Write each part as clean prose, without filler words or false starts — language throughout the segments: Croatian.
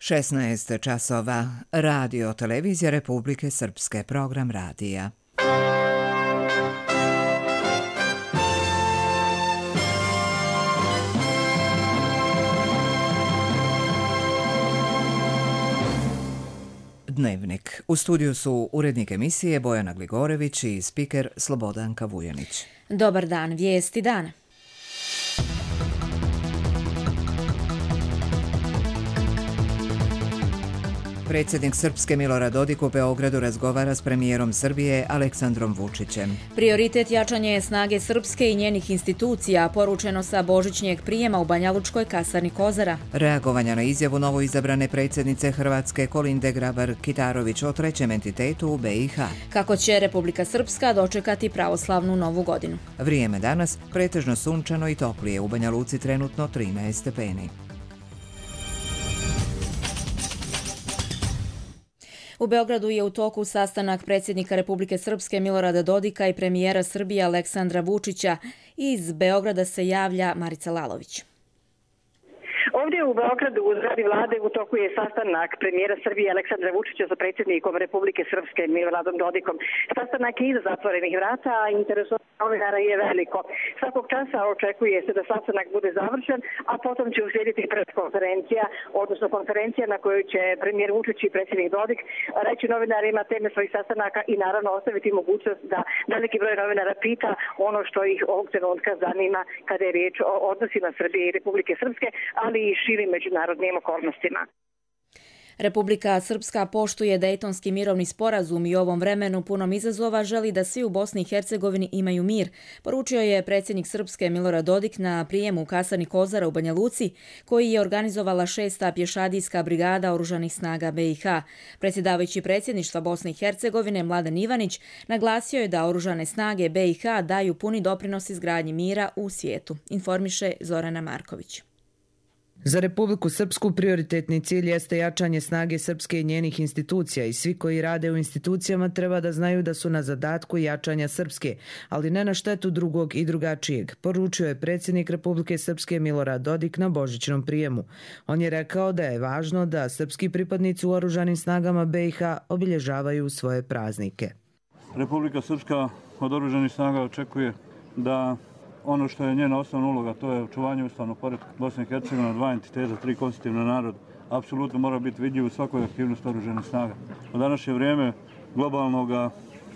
16 časova. Radio Televizija Republike Srpske. Program radija. Dnevnik. U studiju su urednik emisije Bojana Gligorević i spiker Slobodanka Vujanić. Dobar dan, vijesti dana. Predsjednik Srpske Milorad Dodik u Beogradu razgovara s premijerom Srbije Aleksandrom Vučićem. Prioritet jačanje snage Srpske i njenih institucija, poručeno sa božićnjeg prijema u Banjalučkoj kasarni Kozara. Reagovanja na izjavu novoizabrane predsjednice Hrvatske Kolinde Grabar-Kitarović o trećem entitetu u BiH. Kako će Republika Srpska dočekati pravoslavnu novu godinu. Vrijeme danas pretežno sunčano i toplije, u Banja Luci trenutno 13 stepeni. U Beogradu je u toku sastanak predsjednika Republike Srpske Milorada Dodika i premijera Srbije Aleksandra Vučića. Iz Beograda se javlja Marica Lalović. Ovdje u Beogradu u zgradi vlade u toku je sastanak premijera Srbije Aleksandra Vučića sa predsjednikom Republike Srpske Miloradom Dodikom. Sastanak je iza zatvorenih vrata, a interesovanje novinara je veliko. Svakog časa očekuje se da sastanak bude završen, a potom će uslijediti preskonferencija, odnosno konferencija na kojoj će premijer Vučić i predsjednik Dodik reći novinarima teme svojih sastanaka i naravno ostaviti mogućnost da veliki broj novinara pita ono što ih ovog trenutka zanima kada je riječ o odnosima Srbije i Republike Srpske, ali i širim međunarodnim okolnostima. Republika Srpska poštuje Dejtonski mirovni sporazum i u ovom vremenu punom izazova želi da svi u Bosni i Hercegovini imaju mir, poručio je predsjednik Srpske Milorad Dodik na prijemu u kasarni Kozara u Banja Luci, koji je organizovala 6. pješadijska brigada oružanih snaga BiH. Predsjedavajući predsjedništva Bosne i Hercegovine Mladen Ivanić naglasio je da oružane snage BiH daju puni doprinos izgradnji mira u svijetu, informiše Zorana Marković. Za Republiku Srpsku prioritetni cilj jeste jačanje snage Srpske i njenih institucija i svi koji rade u institucijama treba da znaju da su na zadatku jačanja Srpske, ali ne na štetu drugog i drugačijeg, poručio je predsjednik Republike Srpske Milorad Dodik na božićnom prijemu. On je rekao da je važno da srpski pripadnici u oružanim snagama BiH obilježavaju svoje praznike. Republika Srpska od oružanih snaga očekuje da ono što je njena osnovna uloga, to je očuvanje ustavnog poretka Bosne i Hercegovine, 2 entiteta, 3 konstitutivna naroda, apsolutno mora biti vidljiv u svakoj aktivnosti oružanih snaga. U današnje vrijeme globalnog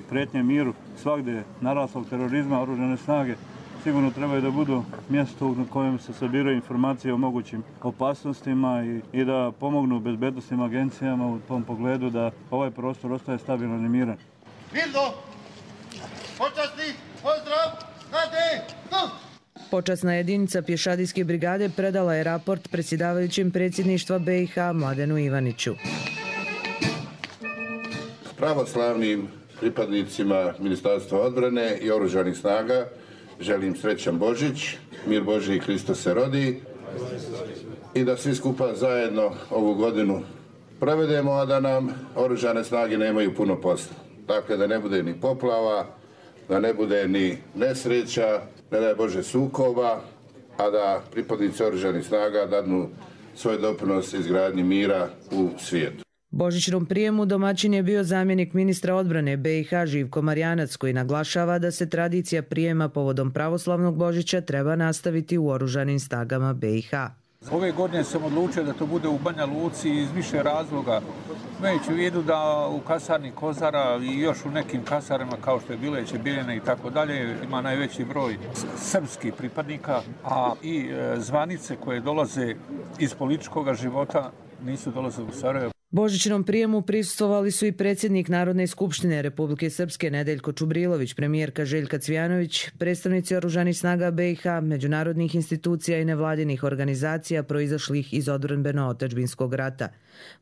prijetnje miru, svagdje naraslog terorizma, oružane snage sigurno trebaju da budu mjesto na kojem se sabiraju informacije o mogućim opasnostima i da pomognu bezbednosnim agencijama u tom pogledu da ovaj prostor ostaje stabilan i miran. Mirno! Počasni! Pozdrav! Počasna jedinica pješadijske brigade predala je raport predsjedavajućem predsjedništva BiH Mladenu Ivaniću. Pravoslavnim pripadnicima Ministarstva odbrane i oružanih snaga želim srećan Božić, mir Božji i Hristos se rodi i da svi skupa zajedno ovu godinu provedemo, a da nam oružane snage nemaju puno posla. Dakle, da ne bude ni poplava, da ne bude ni nesreća, ne daj Bože sukoba, a da pripadnici oružanih snaga dadnu svoj doprinos izgradnji mira u svijetu. Božićnom prijemu domaćin je bio zamjenik ministra odbrane BiH Živko Marjanac, koji naglašava da se tradicija prijema povodom pravoslavnog Božića treba nastaviti u oružanim snagama BiH. Ove godine sam odlučio da to bude u Banja Luci iz više razloga. Imajući u vidu da u kasarni Kozara i još u nekim kasarima kao što je Bileće, Biljana i tako dalje ima najveći broj srpskih pripadnika, a i zvanice koje dolaze iz političkog života nisu dolazile u Sarajevo. Božićnom prijemu prisustvovali su i predsjednik Narodne skupštine Republike Srpske Nedeljko Čubrilović, premijerka Željka Cvijanović, predstavnici oružanih snaga BiH, međunarodnih institucija i nevladinih organizacija proizašlih iz odbrambeno-otadžbinskog rata.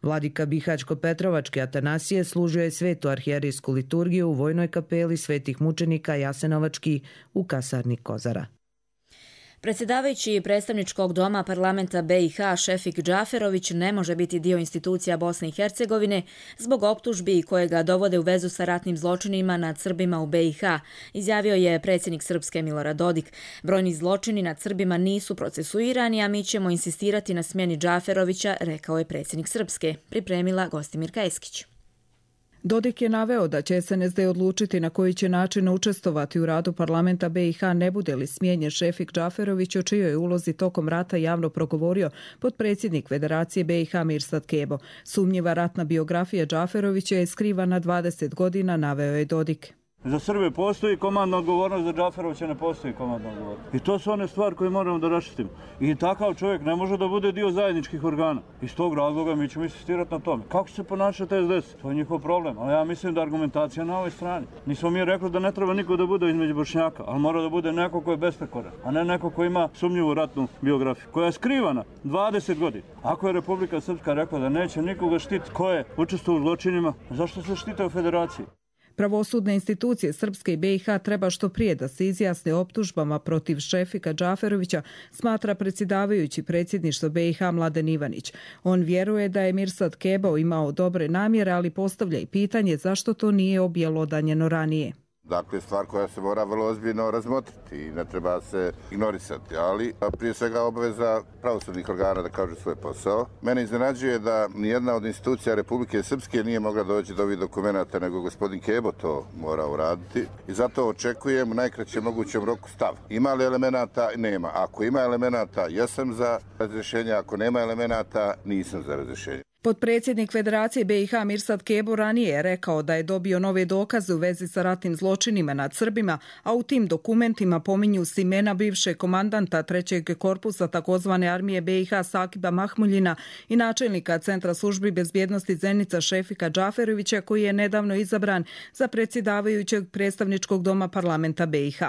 Vladika Bihaćko-Petrovačke Atanasije služio je svetu arhijerijsku liturgiju u vojnoj kapeli svetih mučenika Jasenovački u kasarni Kozara. Predsjedavajući predstavničkog doma parlamenta BiH Šefik Džaferović ne može biti dio institucija Bosne i Hercegovine zbog optužbi koje ga dovode u vezu sa ratnim zločinima nad Srbima u BiH, izjavio je predsjednik Srpske Milorad Dodik. Brojni zločini nad Srbima nisu procesuirani, a mi ćemo insistirati na smjeni Džaferovića, rekao je predsjednik Srpske, pripremila Gostimirka Eskić. Dodik je naveo da će SNSD odlučiti na koji će način učestvovati u radu parlamenta BiH ne bude li smijenjen Šefik Džaferović, o čijoj ulozi tokom rata javno progovorio potpredsjednik Federacije BiH Mirsad Kebo. Sumnjiva ratna biografija Džaferovića je skrivana 20 godina, naveo je Dodik. Za Srbe postoji komandna odgovornost, za Džaferovića ne postoji komandna odgovornost. I to su one stvari koje moramo da raščistimo. I takav čovjek ne može da bude dio zajedničkih organa. Iz tog razloga mi ćemo insistirati na tome. Kako će se ponašati SDS? To je njihov problem. Ali ja mislim da argumentacija na ovoj strani. Nismo mi rekli da ne treba niko da bude između Bošnjaka, ali mora da bude neko ko je besprekoran, a ne neko ko ima sumnjivu ratnu biografiju, koja je skrivana 20 godina. Ako je Republika Srpska rekla da neće nikoga štiti ko je učestvovao u zločinima, zašto se štite u Federaciji? Pravosudne institucije Srpske i BiH treba što prije da se izjasne optužbama protiv Šefika Džaferovića, smatra predsjedavajući predsjedništva BiH Mladen Ivanić. On vjeruje da je Mirsad Kebo imao dobre namjere, ali postavlja i pitanje zašto to nije objelodanjeno ranije. Dakle, stvar koja se mora vrlo ozbiljno razmotriti i ne treba se ignorisati, ali prije svega obaveza pravosudnih organa da kažu svoj posao. Mene iznenađuje da nijedna od institucija Republike Srpske nije mogla doći do ovih dokumenata, nego gospodin Kebo to mora uraditi i zato očekujem u najkraćem mogućem roku stav. Ima li elemenata? Nema. Ako ima elemenata, jesam za razrješenje, ako nema elemenata, nisam za razrješenje. Potpredsjednik Federacije BiH Mirsad Kebo ranije je rekao da je dobio nove dokaze u vezi sa ratnim zločinima nad Srbima, a u tim dokumentima pominju se imena bivšeg komandanta 3. korpusa takozvane armije BiH Sakiba Mahmuljina i načelnika Centra službi bezbjednosti Zenica Šefika Džaferovića, koji je nedavno izabran za predsjedavajućeg predstavničkog doma parlamenta BiH.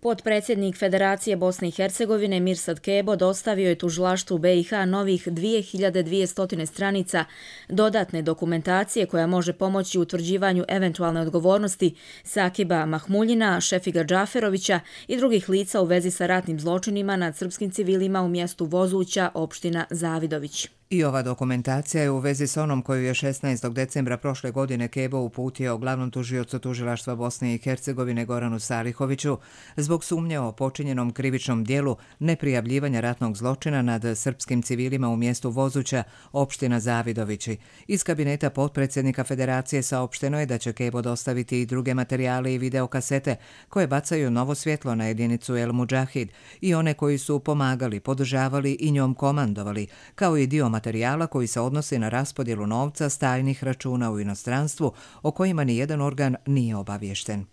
Potpredsjednik Federacije Bosne i Hercegovine Mirsad Kebo dostavio je tužilaštvu BiH novih 2200 stranica dodatne dokumentacije koja može pomoći u utvrđivanju eventualne odgovornosti Sakiba Mahmuljina, Šefika Džaferovića i drugih lica u vezi sa ratnim zločinima nad srpskim civilima u mjestu Vozuća, opština Zavidović. I ova dokumentacija je u vezi s onom koju je 16. decembra prošle godine Kebo uputio glavnom tužiocu tužilaštva Bosne i Hercegovine Goranu Salihoviću zbog sumnje o počinjenom krivičnom dijelu neprijavljivanja ratnog zločina nad srpskim civilima u mjestu Vozuća, opština Zavidovići. Iz kabineta potpredsjednika Federacije saopšteno je da će Kebo dostaviti i druge materijale i videokasete koje bacaju novo svjetlo na jedinicu El Mudžahid i one koji su pomagali, podržavali i njom komandovali, kao i dio materijala koji se odnosi na raspodjelu novca s tajnih računa u inostranstvu o kojima ni jedan organ nije obaviješten.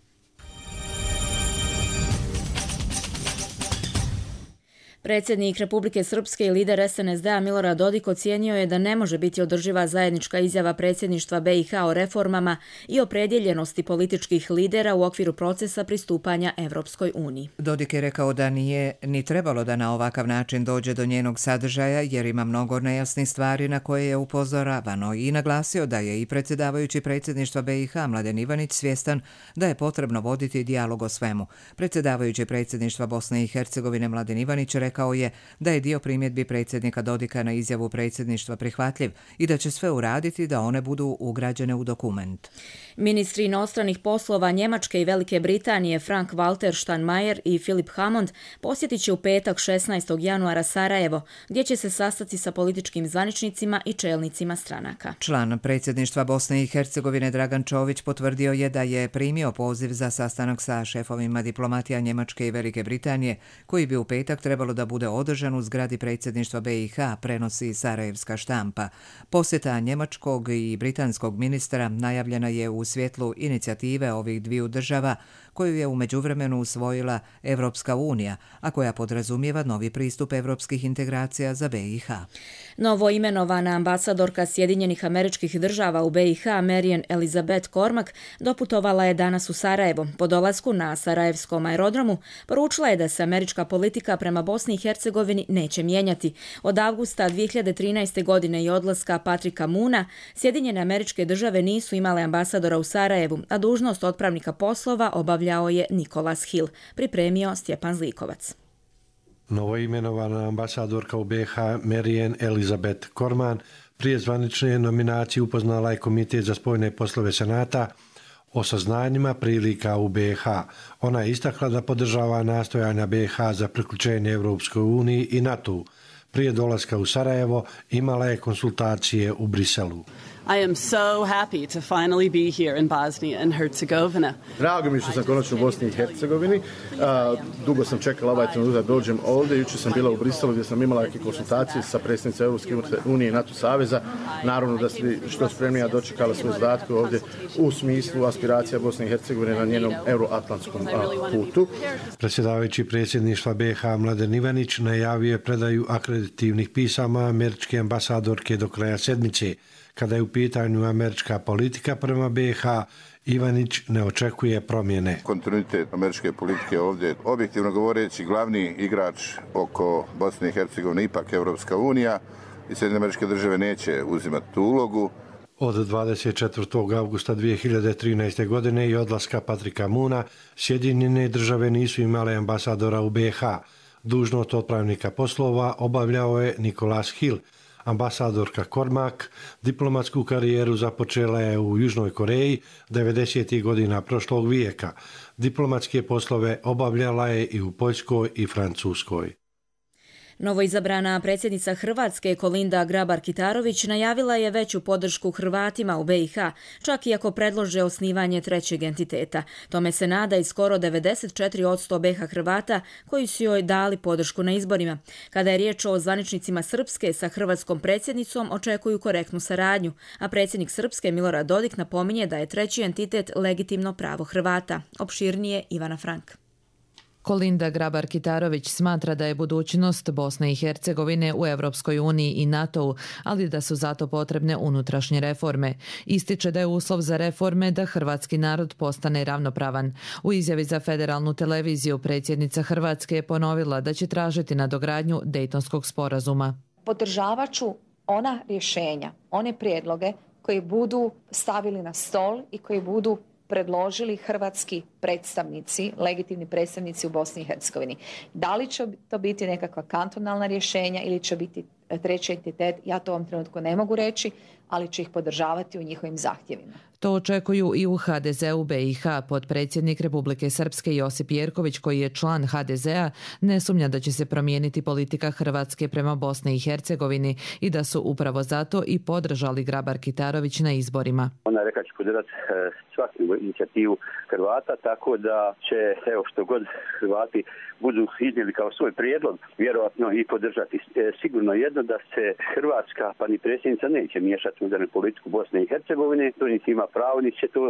Predsjednik Republike Srpske i lider SNSD-a Milorad Dodik ocijenio je da ne može biti održiva zajednička izjava predsjedništva BiH o reformama i opredjeljenosti političkih lidera u okviru procesa pristupanja Evropskoj uniji. Dodik je rekao da nije ni trebalo da na ovakav način dođe do njenog sadržaja jer ima mnogo nejasnih stvari na koje je upozoravano i naglasio da je i predsjedavajući predsjedništva BiH Mladen Ivanić svjestan da je potrebno voditi dijalog o svemu. Predsjedavajući predsjedništva Bosne i Hercegovine Mladen Ivanić rekao je da je dio primjedbi predsjednika Dodika na izjavu predsjedništva prihvatljiv i da će sve uraditi da one budu ugrađene u dokument. Ministri inostranih poslova Njemačke i Velike Britanije Frank Walter Steinmeier i Philip Hammond posjetit će u petak 16. januara Sarajevo, gdje će se sastati sa političkim zvaničnicima i čelnicima stranaka. Član predsjedništva Bosne i Hercegovine Dragan Čović potvrdio je da je primio poziv za sastanak sa šefovima diplomatija Njemačke i Velike Britanije, koji bi u petak trebalo da bude održan u zgradi predsjedništva BiH, prenosi sarajevska štampa. Posjeta njemačkog i britanskog ministra najavljena je u svjetlu inicijative ovih dviju država koju je u međuvremenu usvojila Evropska unija, a koja podrazumijeva novi pristup evropskih integracija za BiH. Novo imenovana ambasadorka Sjedinjenih Američkih Država u BiH Marian Elizabeth Cormack doputovala je danas u Sarajevo. Po dolasku na sarajevskom aerodromu poručila je da se američka politika prema Bosni i Hercegovini neće mijenjati. Od avgusta 2013. godine i odlaska Patrika Moona, Sjedinjene Američke Države nisu imale ambasadora u Sarajevu, a dužnost otpravnika poslova obavljao je Nikolas Hill, pripremio Stjepan Zlikovac. Novoimenovana ambasadorka u BiH Marijan Elizabeth Korman prije zvanične nominacije upoznala je Komitet za spoljne poslove Senata o saznanjima prilika u BiH. Ona je istakla da podržava nastojanja BiH za priključenje Evropskoj uniji i NATO. Prije dolaska u Sarajevo imala je konsultacije u Briselu. I am so happy to finally be here in Bosnia and Herzegovina. Drago mi što sam konačno u Bosni i Hercegovini. Dugo sam čekala ovaj trenutak da dođem ovdje. Jučer sam bila u Briselu gdje sam imala neke konsultacije sa predsjednicom Europske unije i NATO saveza. Naravno da ste što spremnija dočekala svoje zadatke ovdje u smislu aspiracija Bosne i Hercegovine na njenom euroatlantskom putu. Predsjedavajući predsjedništva BiH Mladen Ivanić najavio je predaju akreditivnih pisama američke ambasadorke do kraja sedmice. Kada je u pitanju američka politika prema BiH, Ivanić ne očekuje promjene. Kontinuitet američke politike ovdje, objektivno govoreći, glavni igrač oko Bosne i Hercegovine ipak Evropska unija i Sjedinjene Američke Države neće uzimati tu ulogu. Od 24. augusta 2013. godine i odlaska Patrika Moona, Sjedinjene Države nisu imale ambasadora u BiH. Dužnost otpravnika poslova obavljao je Nicholas Hill. Ambasadorka Kormak diplomatsku karijeru započela je u Južnoj Koreji 90. godina prošlog vijeka. Diplomatske poslove obavljala je i u Poljskoj i Francuskoj. Novoizabrana predsjednica Hrvatske Kolinda Grabar-Kitarović najavila je veću podršku Hrvatima u BiH, čak i ako predlože osnivanje trećeg entiteta. Tome se nada i skoro 94% BiH Hrvata koji su joj dali podršku na izborima. Kada je riječ o zvaničnicima Srpske, sa hrvatskom predsjednicom očekuju korektnu saradnju, a predsjednik Srpske Milorad Dodik napominje da je treći entitet legitimno pravo Hrvata. Opširnije Ivana Frank. Kolinda Grabar-Kitarović smatra da je budućnost Bosne i Hercegovine u Evropskoj uniji i NATO-u, ali da su zato potrebne unutrašnje reforme. Ističe da je uslov za reforme da hrvatski narod postane ravnopravan. U izjavi za federalnu televiziju predsjednica Hrvatske je ponovila da će tražiti nadogradnju Dejtonskog sporazuma. Podržavat ću ona rješenja, one prijedloge koji budu stavili na stol i koji budu predložili hrvatski predstavnici, legitimni predstavnici u Bosni i Hercegovini. Da li će to biti nekakva kantonalna rješenja ili će biti treći entitet, ja to u ovom trenutku ne mogu reći, ali će ih podržavati u njihovim zahtjevima. To očekuju i u HDZ-u BiH. Potpredsjednik Republike Srpske Josip Jerković, koji je član HDZ-a, ne sumnja da će se promijeniti politika Hrvatske prema Bosni i Hercegovini i da su upravo zato i podržali Grabar-Kitarović na izborima. Ona je rekla će podržati svaku inicijativu Hrvata, tako da će, evo, što god Hrvati budu iznijeli kao svoj prijedlog, vjerojatno i podržati. Sigurno jedno da se Hrvatska, pa ni predsjednica, neće miješati u unutarnju politiku Bosne i Hercegovine, to niti ima pravo, niti će to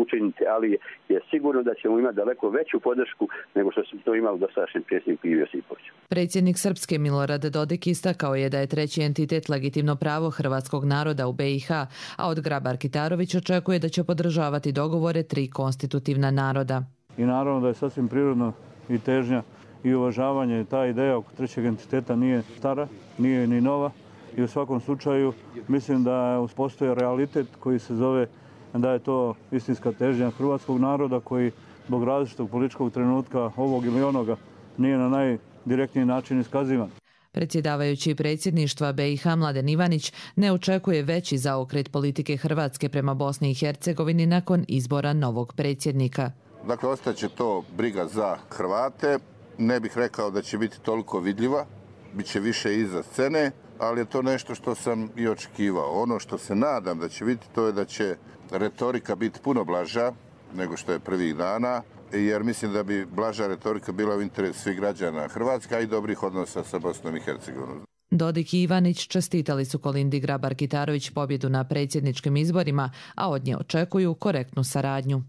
učiniti, ali je sigurno da ćemo imati daleko veću podršku nego što smo to imali dosadašnjem predsjedniku Ivi Josipoviću. Predsjednik Srpske Milorad Dodik istakao je da je treći entitet legitimno pravo hrvatskog naroda u BiH, a od Grabar-Kitarović očekuje da će podržavati dogovore tri konstitutivna naroda. I naravno da je sasvim prirodno i težnja i uvažavanje. Ta ideja oko trećeg entiteta nije stara, nije ni nova i u svakom slučaju mislim da postoji realitet koji se zove da je to istinska težnja hrvatskog naroda koji zbog različitog političkog trenutka ovog ili onoga nije na najdirektniji način iskazivan. Predsjedavajući predsjedništva BiH Mladen Ivanić ne očekuje veći zaokret politike Hrvatske prema Bosni i Hercegovini nakon izbora novog predsjednika. Dakle, ostaće to briga za Hrvate. Ne bih rekao da će biti toliko vidljiva, bit će više iza scene, ali je to nešto što sam i očekivao. Ono što se nadam da će biti, to je da će retorika biti puno blaža nego što je prvih dana, jer mislim da bi blaža retorika bila u interesu svih građana Hrvatske, a i dobrih odnosa sa Bosnom i Hercegovinom. Dodik i Ivanić čestitali su Kolindi Grabar-Kitarović pobjedu na predsjedničkim izborima, a od nje očekuju korektnu saradnju.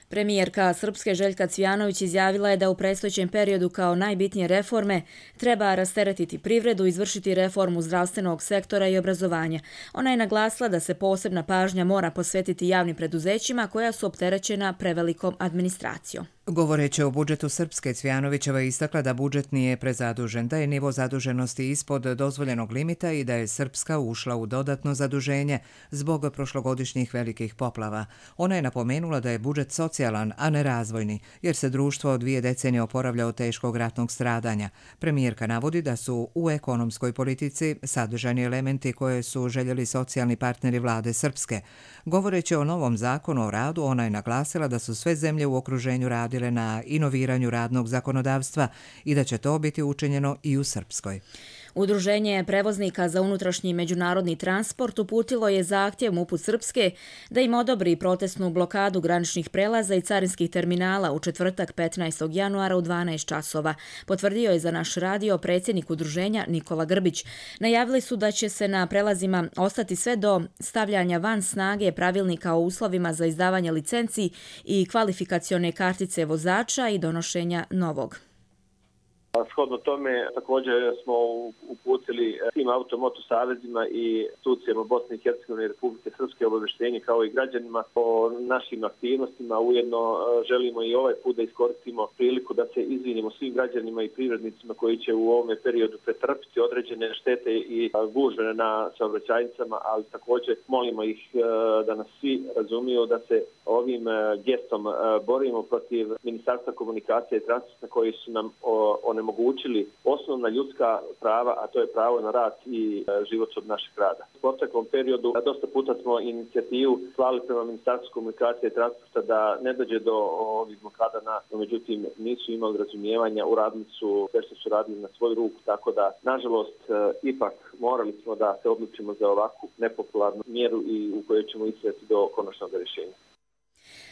Premijerka Srpske Željka Cvijanović izjavila je da u predstojećem periodu kao najbitnije reforme treba rasteretiti privredu, izvršiti reformu zdravstvenog sektora i obrazovanja. Ona je naglasila da se posebna pažnja mora posvetiti javnim preduzećima koja su opterećena prevelikom administracijom. Govoreći o budžetu Srpske, Cvjanovićeva je istakla da budžet nije prezadužen, da je nivo zaduženosti ispod dozvoljenog limita i da je Srpska ušla u dodatno zaduženje zbog prošlogodišnjih velikih poplava. Ona je napomenula da je budžet socijalan, a ne razvojni, jer se društvo od 2 decenije oporavlja od teškog ratnog stradanja. Premijerka navodi da su u ekonomskoj politici sadržani elementi koje su željeli socijalni partneri vlade Srpske. Govoreći o novom zakonu o radu, ona je naglasila da su sve zemlje u okruženju radile na inoviranju radnog zakonodavstva i da će to biti učinjeno i u Srpskoj. Udruženje prevoznika za unutrašnji međunarodni transport uputilo je zahtjev MUP-u Srpske da im odobri protestnu blokadu graničnih prelaza i carinskih terminala u četvrtak 15. januara u 12 časova. Potvrdio je za naš radio predsjednik udruženja Nikola Grbić. Najavili su da će se na prelazima ostati sve do stavljanja van snage pravilnika o uslovima za izdavanje licenci i kvalifikacione kartice vozača i donošenja novog. Shodno tome također smo uputili svim automoto savezima i institucijama Bosne i Hercegovine i Republike Srpske obavještenje kao i građanima o našim aktivnostima. Ujedno želimo i ovaj put da iskoristimo priliku da se izvinimo svim građanima i privrednicima koji će u ovome periodu pretrpiti određene štete i gužve na saobraćajnicama, ali također molimo ih da nas svi razumiju da se ovim gestom borimo protiv Ministarstva komunikacije i transporta koji su nam onemogućili osnovna ljudska prava, a to je pravo na rad i život od našeg rada. U proteklom periodu dosta puta smo inicijativu slali prema Ministarstvu komunikacije i transporta da ne dođe do ovih blokada, no međutim nisu imali razumijevanja, uradili su sve što su radili na svoju ruku, tako da nažalost ipak morali smo da se odlučimo za ovakvu nepopularnu mjeru i u kojoj ćemo istrajati do konačnog rješenja.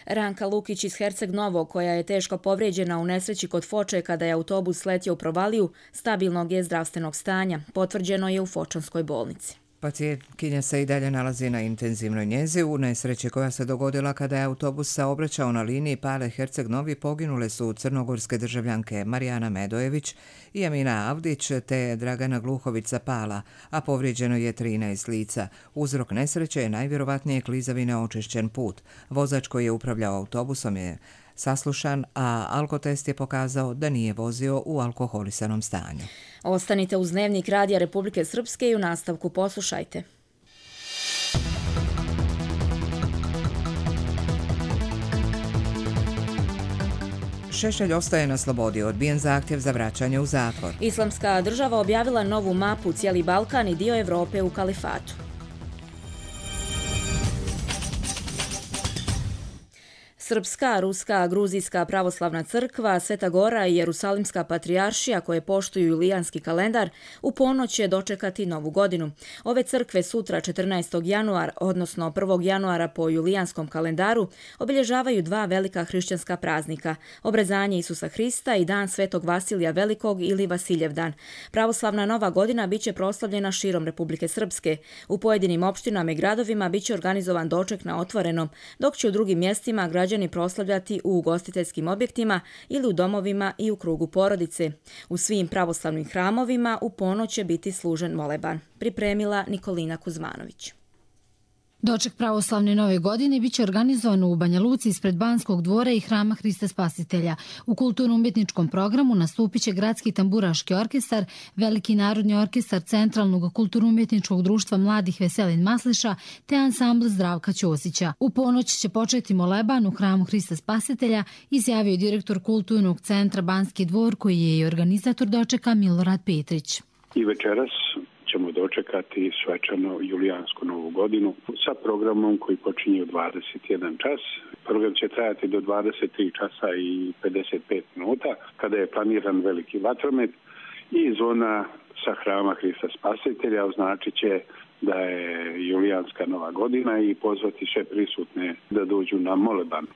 Ranka Lukić iz Herceg Novog, koja je teško povrijeđena u nesreći kod Foče kada je autobus sletio u provaliju, stabilnog je zdravstvenog stanja. Potvrđeno je u Fočanskoj bolnici. Pacijentkinja se i dalje nalazi na intenzivnoj njezi. U nesreći koja se dogodila kada je autobus saobraćao na liniji Pale Herceg Novi poginule su crnogorske državljanke Marijana Medojević i Amina Avdić te Dragana Gluhović sa Pala, a povrijeđeno je 13 lica. Uzrok nesreće je najvjerovatnije klizavine očišćen put. Vozač koji je upravljao autobusom je saslušan, a alkotest je pokazao da nije vozio u alkoholisanom stanju. Ostanite uz Dnevnik Radija Republike Srpske i u nastavku poslušajte. Šešelj ostaje na slobodi, odbijen zahtjev za vraćanje u zatvor. Islamska država objavila novu mapu cijeli Balkan i dio Evrope u kalifatu. Srpska, Ruska, Gruzijska pravoslavna crkva, Sveta Gora i Jerusalimska patrijaršija koje poštuju julijanski kalendar u ponoć će dočekati novu godinu. Ove crkve sutra 14. januara, odnosno 1. januara po julijanskom kalendaru, obilježavaju 2 velika hrišćanska praznika, obrezanje Isusa Hrista i dan Svetog Vasilija Velikog ili Vasiljevdan. Pravoslavna nova godina biće proslavljena širom Republike Srpske. U pojedinim opštinama i gradovima biće organizovan doček na otvorenom, dok će u drugim mjestima građani proslavljati u ugostiteljskim objektima ili u domovima i u krugu porodice. U svim pravoslavnim hramovima u ponoć će biti služen moleban. Pripremila Nikolina Kuzmanović. Doček pravoslavne nove godine biće organizovan u Banja Luci ispred Banskog dvora i Hrama Hrista Spasitelja. U kulturno-umjetničkom programu nastupit će Gradski tamburaški orkestar, Veliki narodni orkestar Centralnog kulturno-umjetničkog društva mladih Veselin Masliša te ansambl Zdravka Ćosića. U ponoć će početi moleban u Hramu Hrista Spasitelja, izjavio direktor Kulturnog centra Banski dvor, koji je i organizator dočeka Milorad Petrić. I večeras ćemo dočekati svečano julijansku novu godinu sa programom koji počinje u 21 čas. Program će trajati do 23 časa i 55 minuta, kada je planiran veliki vatromet i zvona sa Hrama Hrista Spasitelja označit će da je julijanska nova godina i pozvati sve prisutne da dođu na moleban.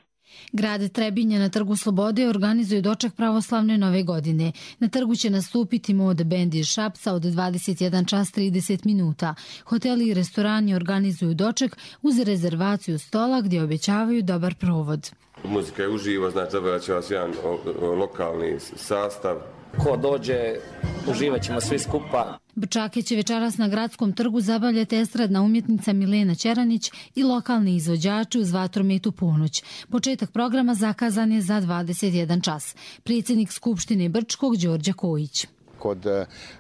Grad Trebinje na Trgu Slobode organizuje doček pravoslavne nove godine. Na trgu će nastupiti Mode bend iz Šapca od 21 čas 30 minuta. Hoteli i restorani organizuju doček uz rezervaciju stola gdje obećavaju dobar provod. Muzika je uživo, znači zabavat će vas jedan lokalni sastav Ko dođe, uživat ćemo svi skupa. Brčake će večeras na Gradskom trgu zabavljati estradna umjetnica Milena Ćeranić i lokalni izvođači uz vatromet u ponoć. Početak programa zakazan je za 21 čas. Predsjednik Skupštine Brčkog Đorđe Kojić. Kod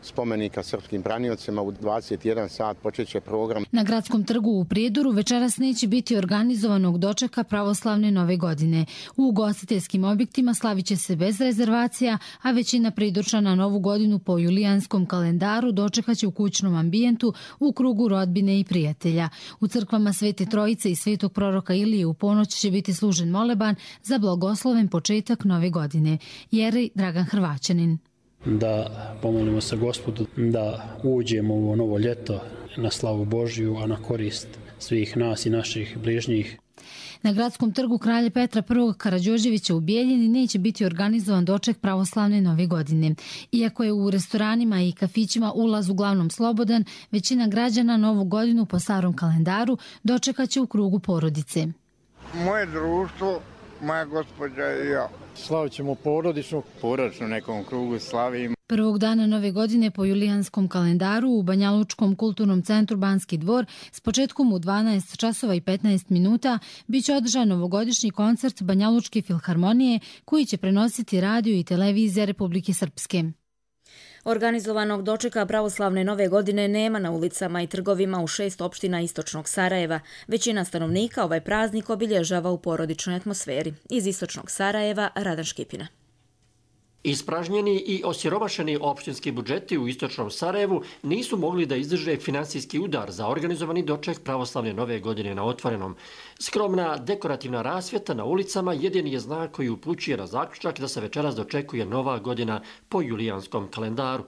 spomenika srpskim braniocima u 21 sat počet će program. Na Gradskom trgu u Prijedoru večeras neće biti organizovanog dočeka pravoslavne nove godine. U ugostiteljskim objektima slavit će se bez rezervacija, a većina Prijedorčana novu godinu po julijanskom kalendaru dočekaće u kućnom ambijentu u krugu rodbine i prijatelja. U crkvama Svete Trojice i Svetog proroka Ilije u ponoć će biti služen moleban za blagosloven početak nove godine. Jerej Dragan Hrvaćanin. Da pomolimo se Gospodu da uđemo u ovo novo ljeto na slavu Božju, a na korist svih nas i naših bližnjih. Na Gradskom trgu Kralja Petra I. Karađorđevića u Bijeljini neće biti organizovan doček pravoslavne nove godine. Iako je u restoranima i kafićima ulaz uglavnom slobodan, većina građana novu godinu po starom kalendaru dočekaće u krugu porodice. Moje društvo, moja gospođa i ja. Slavit ćemo porodično nekom krugu slavimo. Prvog dana nove godine po julijanskom kalendaru u Banjalučkom kulturnom centru Banski dvor s početkom u 12 časova i 15 minuta biće održan novogodišnji koncert Banjalučke filharmonije koji će prenositi radio i televizija Republike Srpske. Organizovanog dočeka pravoslavne nove godine nema na ulicama i trgovima u 6 opština istočnog Sarajeva. Većina stanovnika ovaj praznik obilježava u porodičnoj atmosferi. Iz istočnog Sarajeva, Radan Škipina. Ispražnjeni i osiromašeni opštinski budžeti u istočnom Sarajevu nisu mogli da izdrže finansijski udar za organizovani doček pravoslavne nove godine na otvorenom. Skromna dekorativna rasvjeta na ulicama jedini je znak koji upućuje na zaključak da se večeras dočekuje nova godina po julijanskom kalendaru.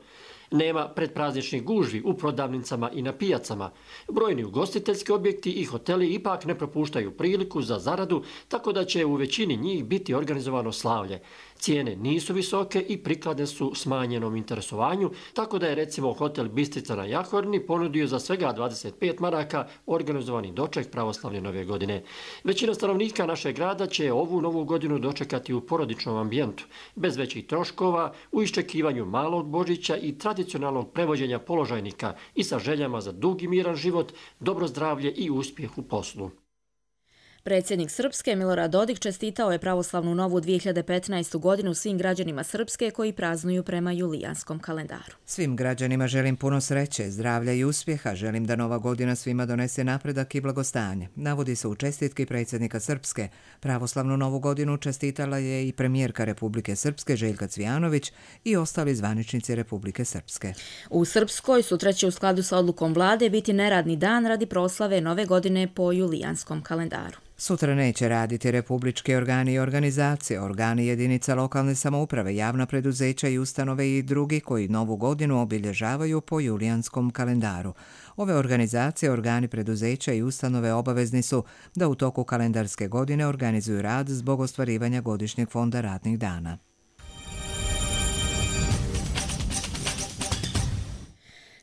Nema predprazničnih gužvi u prodavnicama i na pijacama. Brojni ugostiteljski objekti i hoteli ipak ne propuštaju priliku za zaradu, tako da će u većini njih biti organizovano slavlje. Cijene nisu visoke i prikladne su smanjenom interesovanju, tako da je recimo hotel Bistrica na Jahorni ponudio za svega 25 maraka organizovani doček pravoslavne nove godine. Većina stanovnika našeg grada će ovu novu godinu dočekati u porodičnom ambijentu, bez većih troškova, u iščekivanju malog Božića i tradicionalnog prevođenja položajnika i sa željama za dug i miran život, dobro zdravlje i uspjeh u poslu. Predsjednik Srpske Milorad Dodik čestitao je pravoslavnu novu 2015. godinu svim građanima Srpske koji praznuju prema julijanskom kalendaru. Svim građanima želim puno sreće, zdravlja i uspjeha. Želim da nova godina svima donese napredak i blagostanje. Navodi se u čestitki predsjednika Srpske. Pravoslavnu novu godinu čestitala je i premijerka Republike Srpske Željka Cvijanović i ostali zvaničnici Republike Srpske. U Srpskoj sutra će u skladu sa odlukom vlade biti neradni dan radi proslave nove godine po julijanskom kalendaru. Sutra neće raditi republički organi i organizacije, organi jedinica lokalne samouprave, javna preduzeća i ustanove i drugi koji novu godinu obilježavaju po julijanskom kalendaru. Ove organizacije, organi preduzeća i ustanove obavezni su da u toku kalendarske godine organizuju rad zbog ostvarivanja godišnjeg fonda radnih dana.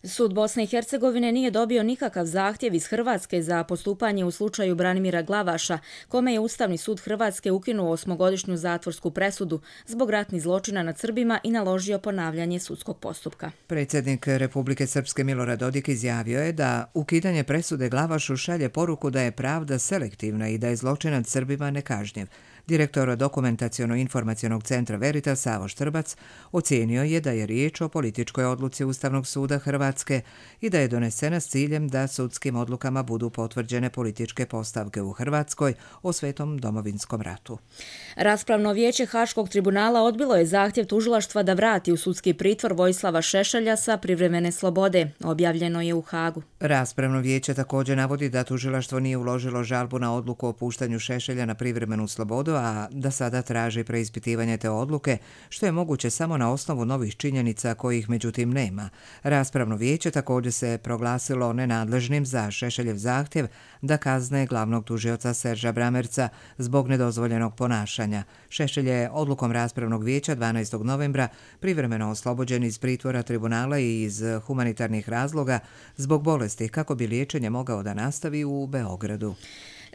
Sud Bosne i Hercegovine nije dobio nikakav zahtjev iz Hrvatske za postupanje u slučaju Branimira Glavaša, kome je Ustavni sud Hrvatske ukinuo 8-godišnju zatvorsku presudu zbog ratnih zločina nad Srbima i naložio ponavljanje sudskog postupka. Predsjednik Republike Srpske Milorad Dodik izjavio je da ukidanje presude Glavašu šalje poruku da je pravda selektivna i da je zločin nad Srbima nekažnjiv. Direktor Dokumentaciono-informacionog centra Veritas Savo Štrbac ocijenio je da je riječ o političkoj odluci Ustavnog suda Hrvatske i da je donesena s ciljem da sudskim odlukama budu potvrđene političke postavke u Hrvatskoj o Svetom domovinskom ratu. Raspravno vijeće Haškog tribunala odbilo je zahtjev tužilaštva da vrati u sudski pritvor Vojislava Šešelja sa privremene slobode. Objavljeno je u Hagu. Raspravno vijeće također navodi da tužilaštvo nije uložilo žalbu na odluku o puštanju Šešelja na privremenu slobodu, a da sada traži preispitivanje te odluke, što je moguće samo na osnovu novih činjenica kojih međutim nema. Raspravno vijeće također se proglasilo nenadležnim za Šešeljev zahtjev da kazne glavnog tužioca Serža Bramerca zbog nedozvoljenog ponašanja. Šešelj je odlukom raspravnog vijeća 12. novembra privremeno oslobođen iz pritvora tribunala i iz humanitarnih razloga zbog bolesti kako bi liječenje mogao da nastavi u Beogradu.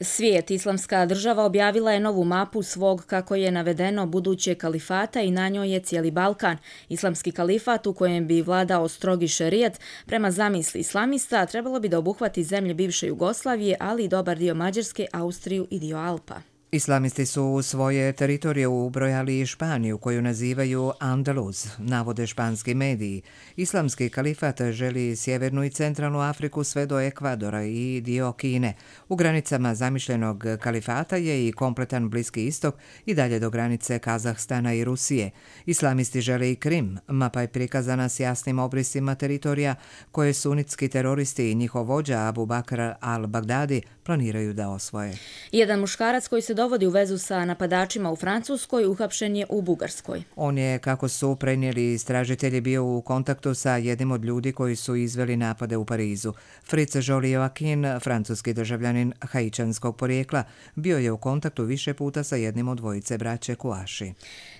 Svijet, Islamska država objavila je novu mapu svog, kako je navedeno, buduće kalifata i na njoj je cijeli Balkan. Islamski kalifat u kojem bi vladao strogi šerijat, prema zamisli islamista, trebalo bi da obuhvati zemlje bivše Jugoslavije, ali i dobar dio Mađarske, Austriju i dio Alpa. Islamisti su u svoje teritorije ubrojali i Španiju, koju nazivaju Andaluz, navode španski mediji. Islamski kalifat želi sjevernu i centralnu Afriku sve do Ekvadora i dio Kine. U granicama zamišljenog kalifata je i kompletan Bliski istok i dalje do granice Kazahstana i Rusije. Islamisti žele i Krim. Mapa je prikazana s jasnim obrisima teritorija koje sunitski teroristi i njihov vođa Abu Bakr al-Baghdadi planiraju da osvoje. Jedan muškarac koji se dovodi u vezu sa napadačima u Francuskoj uhapšen je u Bugarskoj. On je, kako su prenijeli istražitelji, bio u kontaktu sa jednim od ljudi koji su izveli napade u Parizu. Fritz Joly-Joachim, francuski državljanin haičanskog porijekla, bio je u kontaktu više puta sa jednim od dvojice braće Kouachi.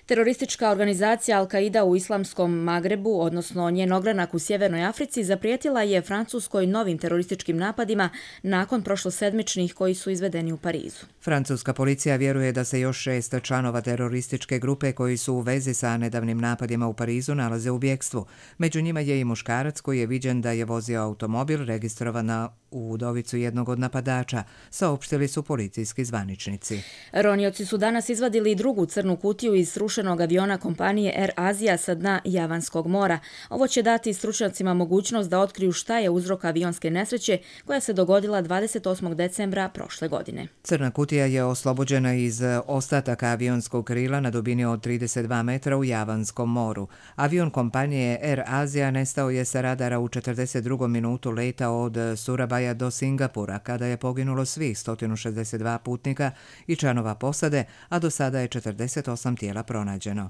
Teroristička organizacija Al-Qaida u islamskom Magrebu, odnosno njen ogranak u Sjevernoj Africi, zaprijetila je Francuskoj novim terorističkim napadima nakon prošlosedmičnih koji su izvedeni u Parizu. Francuska policija vjeruje da se još 6 članova terorističke grupe koji su u vezi sa nedavnim napadima u Parizu nalaze u bjegstvu. Među njima je i muškarac koji je viđen da je vozio automobil registrovan u udovicu jednog od napadača, saopštili su policijski zvaničnici. Ronioci su danas izvadili drugu crnu kutiju iz srušenog aviona kompanije Air Asia sa dna Javanskog mora. Ovo će dati stručnjacima mogućnost da otkriju šta je uzrok avionske nesreće koja se dogodila 28. decembra prošle godine. Crna kutija je oslobođena iz ostataka avionskog krila na dubini od 32 metra u Javanskom moru. Avion kompanije Air Asia nestao je sa radara u 42. minutu leta od Surabaja do Singapura, kada je poginulo svih 162 putnika i članova posade, a do sada je 48 tijela pronađeno.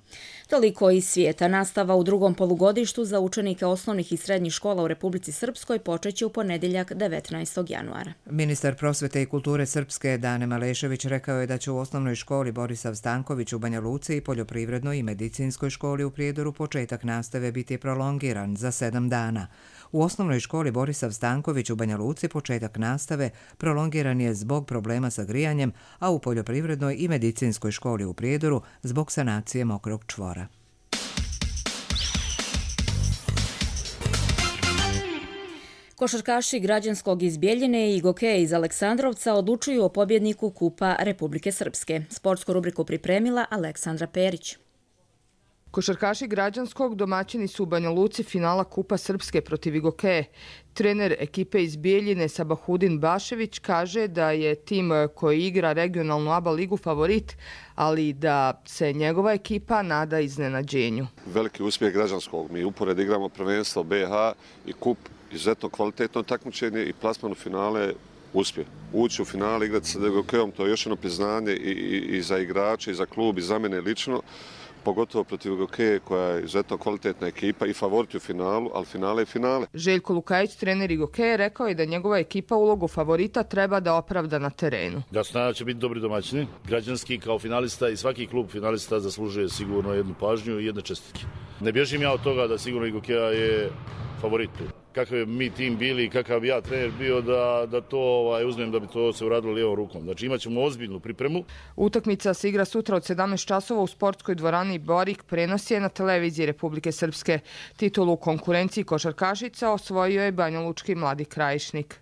Toliko iz svijeta. Nastava u drugom polugodištu za učenike osnovnih i srednjih škola u Republici Srpskoj počeće u ponedjeljak 19. januara. Ministar prosvete i kulture Srpske Dane Malešević rekao je da će u osnovnoj školi Borisav Stanković u Banja Luci i poljoprivrednoj i medicinskoj školi u Prijedoru početak nastave biti prolongiran za 7 dana. U osnovnoj školi Borisav Stanković u Banja Luci početak nastave prolongiran je zbog problema sa grijanjem, a u poljoprivrednoj i medicinskoj školi u Prijedoru zbog sanacije mokrog čvora. Košarkaši građanskog iz Bjeljine i Gokeja iz Aleksandrovca odlučuju o pobjedniku Kupa Republike Srpske. Sportsku rubriku pripremila Aleksandra Perić. Košarkaši građanskog domaćini su u Banja Luci finala Kupa Srpske protiv Gokeje. Trener ekipe iz Bijeljine Sabahudin Bašević kaže da je tim koji igra regionalnu ABA ligu favorit, ali da se njegova ekipa nada iznenađenju. Veliki uspjeh građanskog. Mi upored igramo prvenstvo BH i Kup, izuzetno kvalitetno takmičenje i plasman u finale uspjeh. Ući u finale, igrati sa Gokejom, to je još jedno priznanje i za igrače, i za klub, i za mene lično. Pogotovo protiv Gokeje koja je izuzetno kvalitetna ekipa i favorit u finalu, ali finale je finale. Željko Lukajić, trener i Gokeje, rekao je da njegova ekipa ulogu favorita treba da opravda na terenu. Da se nada će biti dobri domaćini. Građanski kao finalista i svaki klub finalista zaslužuje sigurno jednu pažnju i jedne čestitke. Ne bježim ja od toga da sigurno i Gokeja je favorit tu. Kakav bi mi tim bili i kakav bi ja trener bio da to uzmem da bi to se uradilo lijevom rukom. Znači imat ćemo ozbiljnu pripremu. Utakmica se igra sutra od 17 časova u sportskoj dvorani Borik, prenos je na televiziji Republike Srpske. Titulu u konkurenciji košarkašica osvojio je banjalučki Mladi Krajišnik.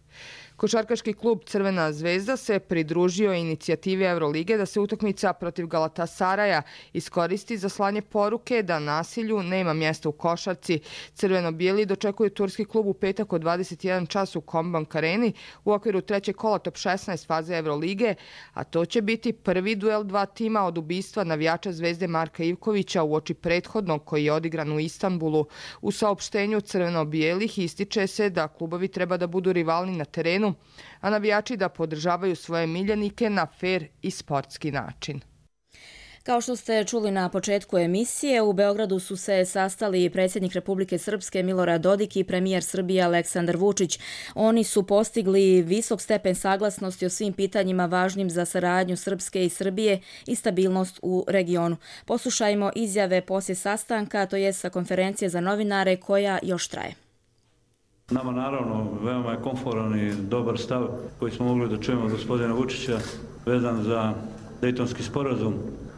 Košarkaški klub Crvena zvezda se pridružio inicijativi Evrolige da se utakmica protiv Galatasaraja iskoristi za slanje poruke da nasilju nema mjesta u košarci. Crveno-bijeli dočekuju turski klub u petak od 21 čas u Kombank Areni u okviru trećeg kola top 16 faze Evrolige, a to će biti prvi duel dva tima od ubistva navijača Zvezde Marka Ivkovića uoči prethodnog koji je odigran u Istanbulu. U saopštenju Crveno-bijelih ističe se da klubovi treba da budu rivalni na terenu, a navijači da podržavaju svoje miljenike na fer i sportski način. Kao što ste čuli na početku emisije, u Beogradu su se sastali predsjednik Republike Srpske Milorad Dodik i premijer Srbije Aleksandar Vučić. Oni su postigli visok stepen saglasnosti o svim pitanjima važnim za saradnju Srpske i Srbije i stabilnost u regionu. Poslušajmo izjave poslije sastanka, to je sa konferencije za novinare koja još traje. Nama naravno veoma je komforan i dobar stav koji smo mogli da čujemo od gospodina Vučića vezan za Dejtonski sporazum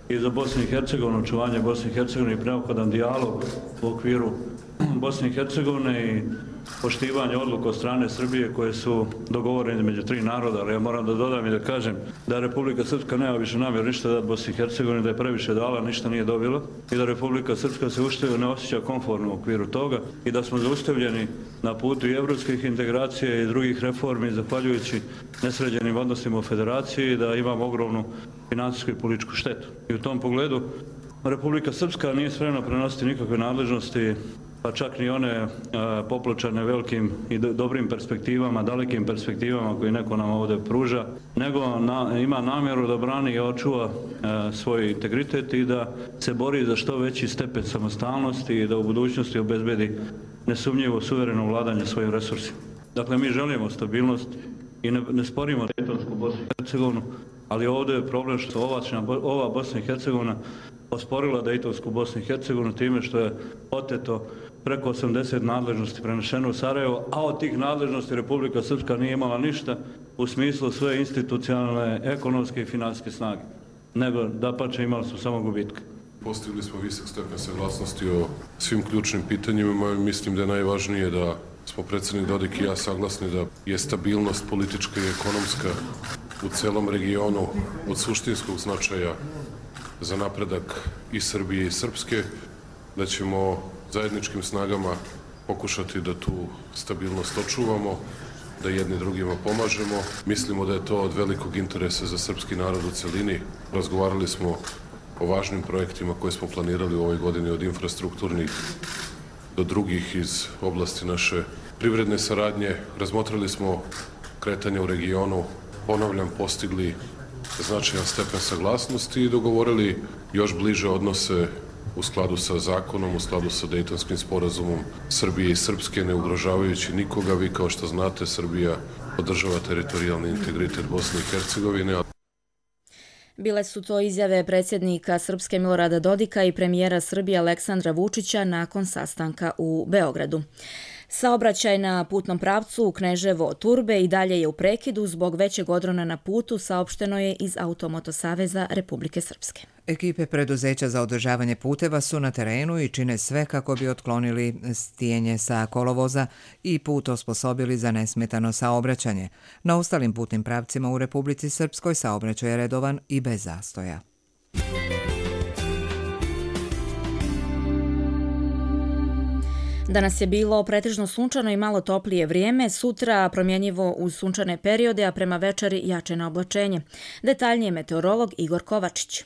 i za Bosnu i Hercegovinu, očuvanje Bosne i Hercegovine i neophodan dijalog u okviru Bosne i Hercegovine i poštivanje odluka od strane Srbije koje su dogovorene među tri naroda, ali ja moram da dodam i da kažem da Republika Srpska nema više namjer ništa dati Bosni i Hercegovini, da je previše dala, ništa nije dobila i da Republika Srpska se ne osjeća komfortno u okviru toga i da smo zaustavljeni na putu i evropskih integracija i drugih reformi zahvaljujući nesređenim odnosima u federaciji i da imamo ogromnu finansijsku i političku štetu. I u tom pogledu Republika Srpska nije spremna prenositi nikakve nadležnosti, pa čak ni one popločane velikim i dobrim perspektivama, dalekim perspektivama koje neko nam ovdje pruža, nego ima namjeru da brani i očuva svoj integritet i da se bori za što veći stepen samostalnosti i da u budućnosti obezbedi nesumnjivo suvereno vladanje svojim resursima. Dakle, mi želimo stabilnost i ne sporimo Dejtonsku Bosnu i Hercegovinu, ali ovdje je problem što ova Bosna i Hercegovina osporila Dejtonsku Bosnu i Hercegovinu time što je oteto preko 80 nadležnosti prenešeno u Sarajevo, a od tih nadležnosti Republika Srpska nije imala ništa u smislu svoje institucionalne, ekonomske i finansijske snage, nego dapače imali su samo gubitke. Postigli smo visok stepen saglasnosti o svim ključnim pitanjima. Mislim da je najvažnije da smo predsjednik Dodik i ja saglasni da je stabilnost politička i ekonomska u celom regionu od suštinskog značaja za napredak i Srbije i Srpske, da ćemo zajedničkim snagama pokušati da tu stabilnost očuvamo, da jedni drugima pomažemo. Mislimo da je to od velikog interesa za srpski narod u celini. Razgovarali smo o važnim projektima koje smo planirali u ovoj godini, od infrastrukturnih do drugih iz oblasti naše privredne saradnje. Razmotrili smo kretanje u regionu, ponavljam, postigli značajan stepen saglasnosti i dogovorili još bliže odnose u skladu sa zakonom, u skladu sa Dejtonskim sporazumom Srbije i Srpske, ne ugrožavajući nikoga. Vi, kao što znate, Srbija podržava teritorijalni integritet Bosne i Hercegovine. Bile su to izjave predsjednika Srpske Milorada Dodika i premijera Srbije Aleksandra Vučića nakon sastanka u Beogradu. Saobraćaj na putnom pravcu Kneževo-Turbe i dalje je u prekidu zbog većeg odrona na putu, saopšteno je iz Automoto saveza Republike Srpske. Ekipe preduzeća za održavanje puteva su na terenu i čine sve kako bi otklonili stijenje sa kolovoza i put osposobili za nesmetano saobraćanje. Na ostalim putnim pravcima u Republici Srpskoj saobraćaj je redovan i bez zastoja. Danas je bilo pretežno sunčano i malo toplije vrijeme, sutra promjenjivo uz sunčane periode, a prema večeri jače na oblačenje. Detaljnije meteorolog Igor Kovačić.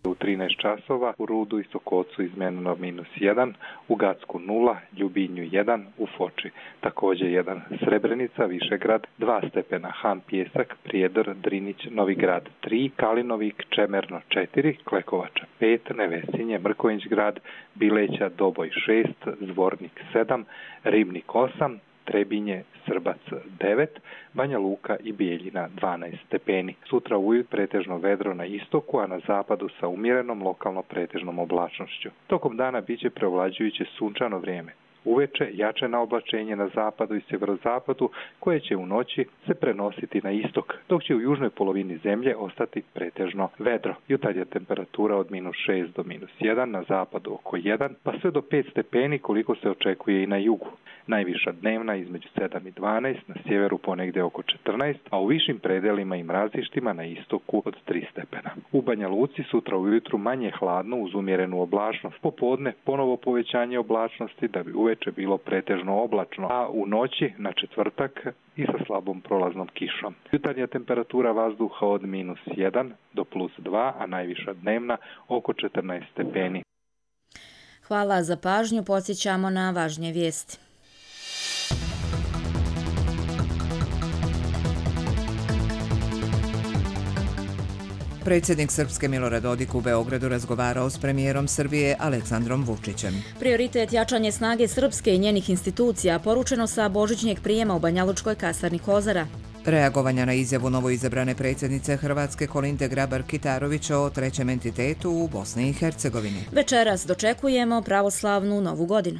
U 13 časova u Rudu i Sokocu izmenjeno -1, u Gacku 0, Ljubinju 1, u Foči također 1, Srebrenica, Višegrad 2 stepena, Han Pjesak, Prijedor, Drinić, Novigrad 3, Kalinovik, Čemerno 4, Klekovača 5, Nevesinje, Mrković grad, Bileća, Doboj 6, Zvornik 7, Ribnik 8, Trebinje, Srbac 9, Banja Luka i Bijeljina 12 stepeni. Sutra ujutro pretežno vedro na istoku, a na zapadu sa umjerenom lokalno pretežnom oblačnošću. Tokom dana biće preovlađujuće sunčano vrijeme. Uveče jače na oblačenje na zapadu i sjeverozapadu, koje će u noći se prenositi na istok, dok će u južnoj polovini zemlje ostati pretežno vedro. Jutarnja temperatura od -6 do -1, na zapadu oko 1, pa sve do 5 stepeni koliko se očekuje i na jugu. Najviša dnevna između 7 i 12, na sjeveru ponegdje oko 14, a u višim predelima i mrazištima na istoku od 3 stepena. U Banja Luci sutra ujutru manje hladno uz umjerenu oblačnost. Popodne ponovo povećanje oblačnosti da bi uveče bilo pretežno oblačno, a u noći na četvrtak i sa slabom prolaznom kišom. Jutarnja temperatura vazduha od -1 do +2, a najviša dnevna oko 14 stepeni. Hvala za pažnju, podsjećamo na važnije vijesti. Predsjednik Srpske Milorad Dodik u Beogradu razgovarao s premijerom Srbije Aleksandrom Vučićem. Prioritet jačanje snage Srpske i njenih institucija poručeno sa božićnjeg prijema u Banjalučkoj kasarni Kozara. Reagovanja na izjavu novoizabrane predsjednice Hrvatske Kolinde Grabar-Kitarović o trećem entitetu u Bosni i Hercegovini. Večeras dočekujemo pravoslavnu Novu godinu.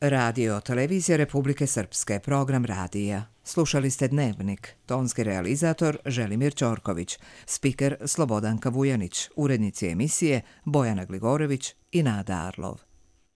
Radio Televizija Republike Srpske, program radija. Slušali ste Dnevnik, tonski realizator Želimir Ćorković, spiker Slobodanka Vujanić, urednici emisije Bojana Gligorević i Nada Arlov.